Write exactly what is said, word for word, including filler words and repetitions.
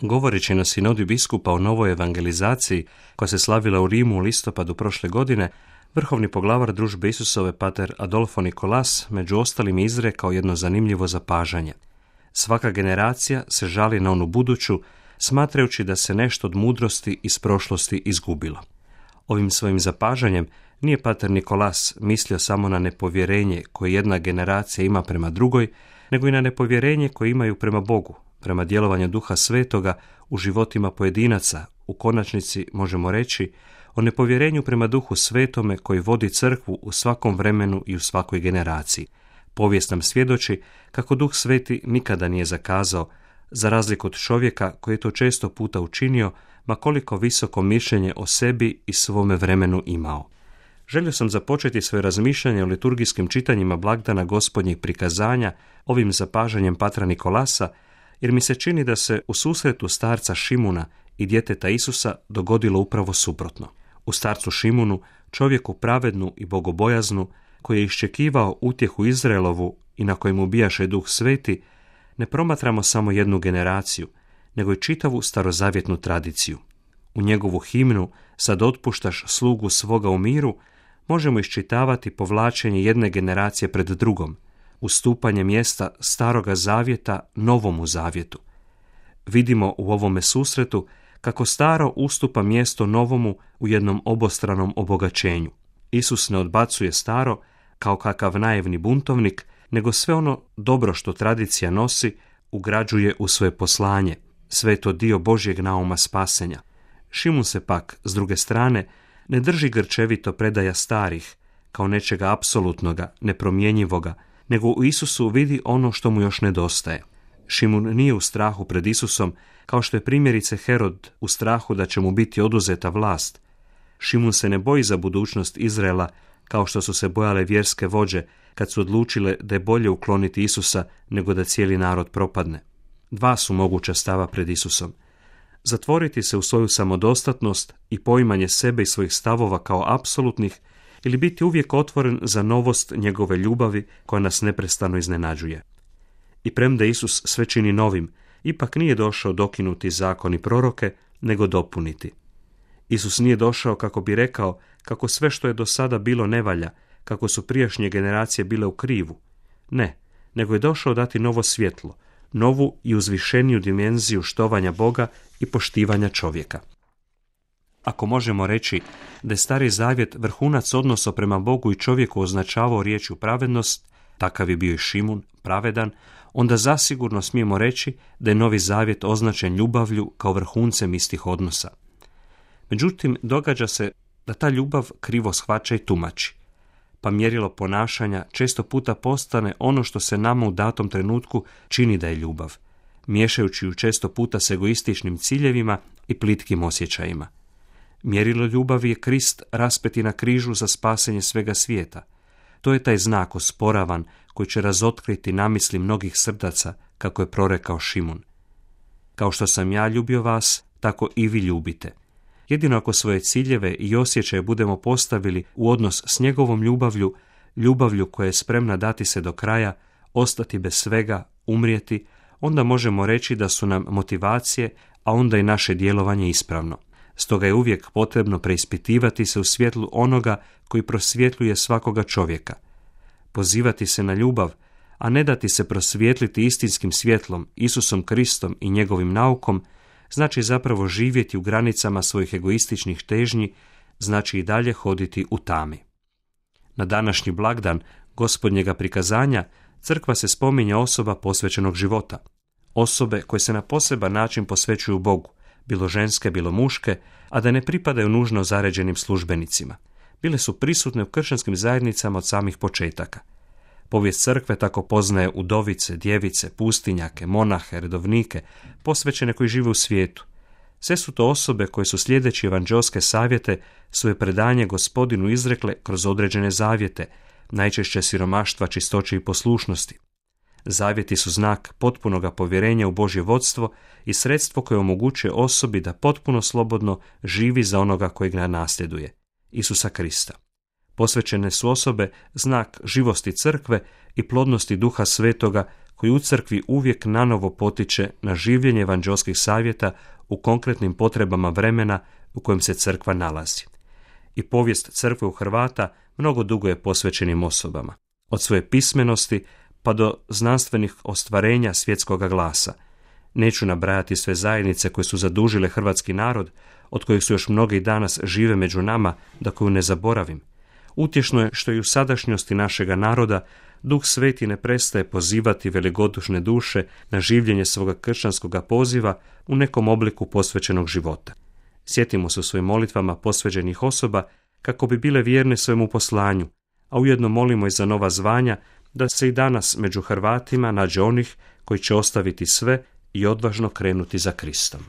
Govoreći na sinodi biskupa o novoj evangelizaciji koja se slavila u Rimu u listopadu prošle godine, vrhovni poglavar družbe Isusove pater Adolfo Nikolas među ostalim izrekao jedno zanimljivo zapažanje. Svaka generacija se žali na onu buduću, smatrajući da se nešto od mudrosti iz prošlosti izgubilo. Ovim svojim zapažanjem nije pater Nikolas mislio samo na nepovjerenje koje jedna generacija ima prema drugoj, nego i na nepovjerenje koje imaju prema Bogu, prema djelovanju Duha Svetoga u životima pojedinaca, u konačnici možemo reći o nepovjerenju prema Duhu Svetome koji vodi crkvu u svakom vremenu i u svakoj generaciji. Povijest nam svjedoči kako Duh Sveti nikada nije zakazao, za razliku od čovjeka koji je to često puta učinio, ma koliko visoko mišljenje o sebi i svome vremenu imao. Želio sam započeti svoje razmišljanje o liturgijskim čitanjima blagdana Gospodnjih prikazanja ovim zapažanjem patra Nikolasa, jer mi se čini da se u susretu starca Šimuna i djeteta Isusa dogodilo upravo suprotno. U starcu Šimunu, čovjeku pravednu i bogobojaznu, koji je iščekivao utjehu Izraelovu i na kojemu bijaše Duh Sveti, ne promatramo samo jednu generaciju, nego i čitavu starozavjetnu tradiciju. U njegovu himnu "Sad otpuštaš slugu svoga u miru" možemo iščitavati povlačenje jedne generacije pred drugom, ustupanje mjesta staroga zavjeta novomu zavjetu. Vidimo u ovome susretu kako staro ustupa mjesto novomu u jednom obostranom obogaćenju. Isus ne odbacuje staro kao kakav naivni buntovnik, nego sve ono dobro što tradicija nosi ugrađuje u svoje poslanje, sve je to dio Božjeg nauma spasenja. Šimun se pak, s druge strane, ne drži grčevito predaja starih, kao nečega apsolutnoga, nepromjenjivoga, nego u Isusu vidi ono što mu još nedostaje. Šimun nije u strahu pred Isusom, kao što je primjerice Herod u strahu da će mu biti oduzeta vlast. Šimun se ne boji za budućnost Izraela, kao što su se bojale vjerske vođe kad su odlučile da je bolje ukloniti Isusa nego da cijeli narod propadne. Dva su moguća stava pred Isusom. Zatvoriti se u svoju samodostatnost i poimanje sebe i svojih stavova kao apsolutnih, ili biti uvijek otvoren za novost njegove ljubavi koja nas neprestano iznenađuje. I premda Isus sve čini novim, ipak nije došao dokinuti zakon i proroke, nego dopuniti. Isus nije došao kako bi rekao kako sve što je do sada bilo ne valja, kako su prijašnje generacije bile u krivu. Ne, nego je došao dati novo svjetlo, novu i uzvišeniju dimenziju štovanja Boga i poštivanja čovjeka. Ako možemo reći da je Stari Zavjet vrhunac odnosa prema Bogu i čovjeku označavao riječju pravednost, takav je bio i Šimun, pravedan, onda zasigurno smijemo reći da je Novi Zavjet označen ljubavlju kao vrhuncem istih odnosa. Međutim, događa se da ta ljubav krivo shvaća i tumači, pa mjerilo ponašanja često puta postane ono što se nama u datom trenutku čini da je ljubav, miješajući ju često puta s egoističnim ciljevima i plitkim osjećajima. Mjerilo ljubavi je Krist raspeti na križu za spasenje svega svijeta. To je taj znak osporavan koji će razotkriti namisli mnogih srdaca, kako je prorekao Šimun. Kao što sam ja ljubio vas, tako i vi ljubite. Jedino ako svoje ciljeve i osjećaje budemo postavili u odnos s njegovom ljubavlju, ljubavlju koja je spremna dati se do kraja, ostati bez svega, umrijeti, onda možemo reći da su nam motivacije, a onda i naše djelovanje ispravno. Stoga je uvijek potrebno preispitivati se u svjetlu onoga koji prosvjetljuje svakoga čovjeka. Pozivati se na ljubav, a ne dati se prosvjetliti istinskim svjetlom, Isusom Kristom i njegovim naukom, znači zapravo živjeti u granicama svojih egoističnih težnji, znači i dalje hoditi u tami. Na današnji blagdan Gospodnjega prikazanja crkva se spominje osoba posvećenog života, osobe koje se na poseban način posvećuju Bogu, bilo ženske, bilo muške, a da ne pripadaju nužno zaređenim službenicima. Bile su prisutne u kršćanskim zajednicama od samih početaka. Povijest crkve tako poznaje udovice, djevice, pustinjake, monahe, redovnike, posvećene koji žive u svijetu. Sve su to osobe koje su slijedeći evanđelske savjete svoje predanje Gospodinu izrekle kroz određene zavjete, najčešće siromaštva, čistoće i poslušnosti. Zavjeti su znak potpunoga povjerenja u Božje vodstvo i sredstvo koje omogućuje osobi da potpuno slobodno živi za onoga kojeg ga nasljeduje, Isusa Krista. Posvećene su osobe znak živosti crkve i plodnosti Duha Svetoga koji u crkvi uvijek nanovo potiče na življenje evanđelskih savjeta u konkretnim potrebama vremena u kojem se crkva nalazi. I povijest crkve u Hrvata mnogo dugo je posvećenim osobama, od svoje pismenosti pa do znanstvenih ostvarenja svjetskoga glasa. Neću nabrajati sve zajednice koje su zadužile hrvatski narod, od kojih su još mnogi i danas žive među nama, da koju ne zaboravim. Utješno je što i u sadašnjosti našega naroda Duh Sveti ne prestaje pozivati velikodušne duše na življenje svoga kršćanskoga poziva u nekom obliku posvećenog života. Sjetimo se u svojim molitvama posvećenih osoba kako bi bile vjerne svojemu poslanju, a ujedno molimo i za nova zvanja da se i danas među Hrvatima nađe onih koji će ostaviti sve i odvažno krenuti za Kristom.